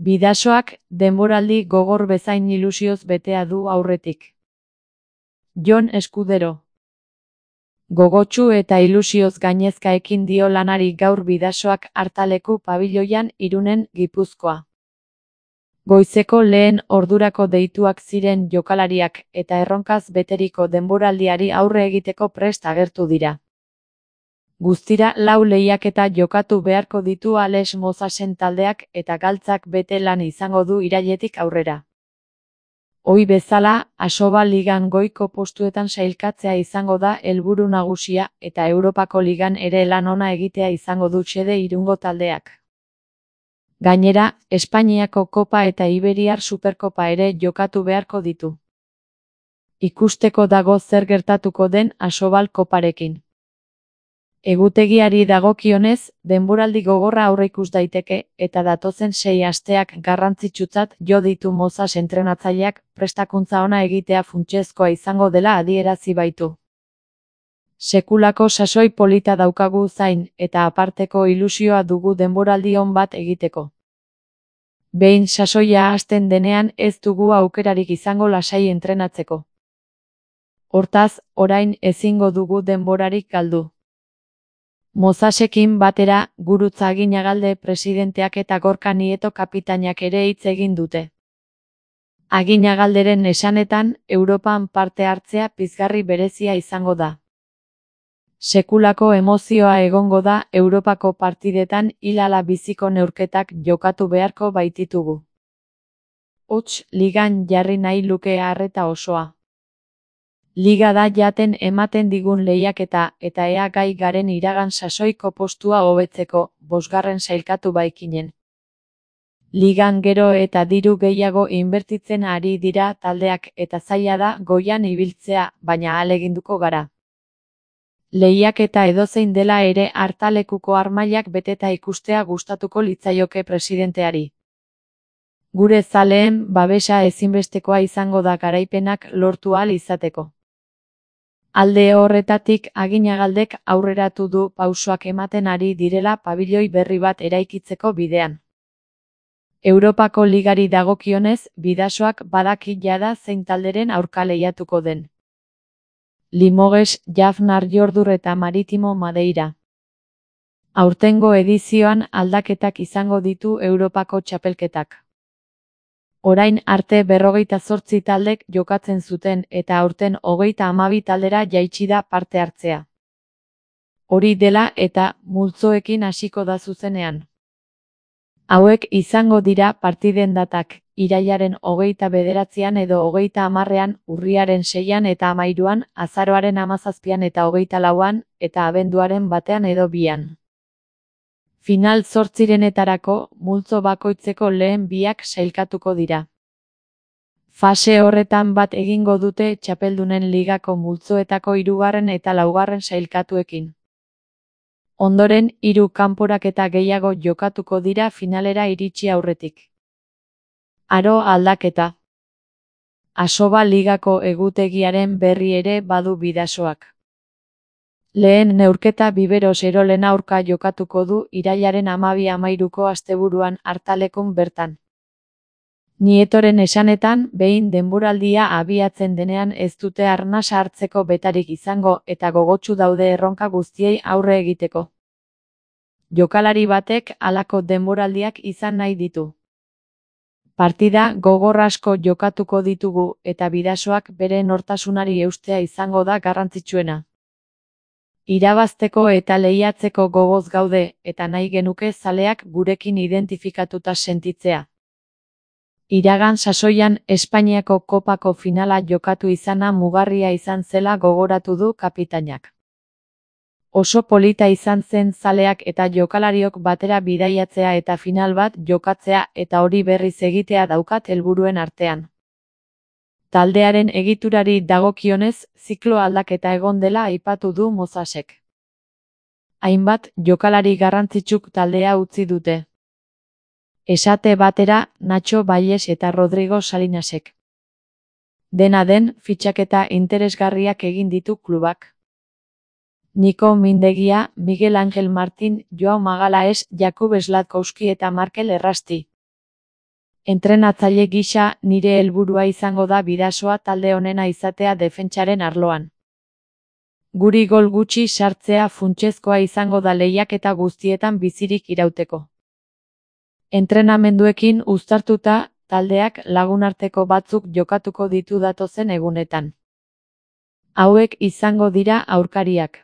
Bidasoak denboraldi gogor bezain ilusioz betea du aurretik. Jon Eskudero. Gogotsu eta ilusioz gainezka ekin dio lanari gaur Bidasoak Artaleku pabiloian Irunen, Gipuzkoa. Goizeko lehen ordurako deituak ziren jokalariak eta erronkaz beteriko denboraldiari aurre egiteko prest agertu dira. Guztira 4 lehiaketa jokatu beharko ditu Ales Mosasen taldeak eta galtzak bete lan izango du irailetik aurrera. Ohi bezala, Asoba Ligan goiko postuetan sailkatzea izango da helburu nagusia eta Europako Ligan ere lan ona egitea izango du xede Irungo taldeak. Gainera, Espainiako Kopa eta Iberiar Superkopa ere jokatu beharko ditu. Ikusteko dago zer gertatuko den Asobal Koparekin. Egutegiari dagokionez, denboraldi gogorra aurreikus daiteke eta datozen 6 asteak garrantzitsutzat jo ditu Mozas entrenatzaileak prestakuntza ona egitea funtsezkoa izango dela adierazi baitu. Sekulako sasoi polita daukagu zain eta aparteko ilusioa dugu denboraldi on bat egiteko. Behin sasoia hasten denean ez dugu aukerarik izango lasai entrenatzeko. Hortaz, orain ezingo dugu denborarik galdu. Mozasekin batera, Gurutza Aginagalde presidenteak eta Gorka Nieto kapitainak ere hitz egin dute. Aginagalderen esanetan, Europan parte hartzea pizgarri berezia izango da. Sekulako emozioa egongo da Europako partidetan hil-ala biziko neurketak jokatu beharko baititugu. Hots, ligan jarri nahi luke arreta osoa. Liga da jaten ematen digun lehiaketa eta ea gai garen iragan sasoiko postua hobetzeko, 5. sailkatu baikinen. Ligan gero eta diru gehiago inbertitzen ari dira taldeak eta zaila da goian ibiltzea, baina ahaleginduko gara. Lehiaketa edozein dela ere Artalekuko armailak beteta ikustea gustatuko litzaioke presidenteari. Gure zaleen babesa ezinbestekoa izango da garaipenak lortu ahal izateko. Alde horretatik Aginagaldek aurreratu du pausoak ematen ari direla pabiloi berri bat eraikitzeko bidean. Europako Ligari dagokionez, Bidasoak badaki jada zein talderen aurka lehiatuko den. Limoges, Jafnar Jordur eta Maritimo Madeira. Aurtengo edizioan aldaketak izango ditu Europako txapelketak. Orain arte 58 taldek jokatzen zuten eta aurten 32 taldera jaitsi da parte hartzea. Hori dela eta multzoekin hasiko da zuzenean. Hauek izango dira partiden datak, irailaren 29an edo 30an, urriaren 6an eta 13an, azaroaren 17an eta 24an, eta abenduaren 1an edo 2an. Final 8renetarako, multzo bakoitzeko lehen 2ak sailkatuko dira. Fase horretan bat egingo dute txapeldunen ligako multzoetako 3. eta 4. sailkatuekin. Ondoren, 3 kanporaketa gehiago jokatuko dira finalera iritsi aurretik. Aro aldaketa. Asoba Ligako egutegiaren berri ere badu Bidasoak. Lehen neurketa Biberos Erolen aurka jokatuko du irailaren 12-13ko asteburuan Artalekun bertan. Nietoren esanetan, behin denboraldia abiatzen denean ez dute arnasa hartzeko betarik izango eta gogotsu daude erronka guztiei aurre egiteko. Jokalari batek halako denboraldiak izan nahi ditu. Partida gogor asko jokatuko ditugu eta Bidasoak bere nortasunari eustea izango da garrantzitsuena. Irabazteko eta lehiatzeko gogoz gaude eta nahi genuke zaleak gurekin identifikatuta sentitzea. Iragan sasoian Espainiako Kopako finala jokatu izana mugarria izan zela gogoratu du kapitainak. Oso polita izan zen zaleak eta jokalariok batera bidaiatzea eta final bat jokatzea eta hori berriz egitea daukat helburuen artean. Taldearen egiturari dagokionez, ziklo aldaketa egon dela aipatu du Mozasek. Hainbat jokalari garrantzitsuk taldea utzi dute. Esate batera, Nacho Baies eta Rodrigo Salinasek. Dena den, fitxaketa interesgarriak egin ditu klubak. Niko Mindegia, Miguel Angel Martin, Joao Magalaes, Jakub Sladkowski eta Markel Errasti. Entrenatzaile gisa, nire helburua izango da Bidasoa talde onena izatea defentsaren arloan. Guri gol gutxi sartzea funtsezkoa izango da lehiaketa guztietan bizirik irauteko. Entrenamenduekin uztartuta, taldeak lagunarteko batzuk jokatuko ditu datozen egunetan. Hauek izango dira aurkariak: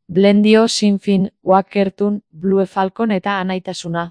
Blendio, Sinfin, Wakertun, Blue Falcon eta Anaitasuna.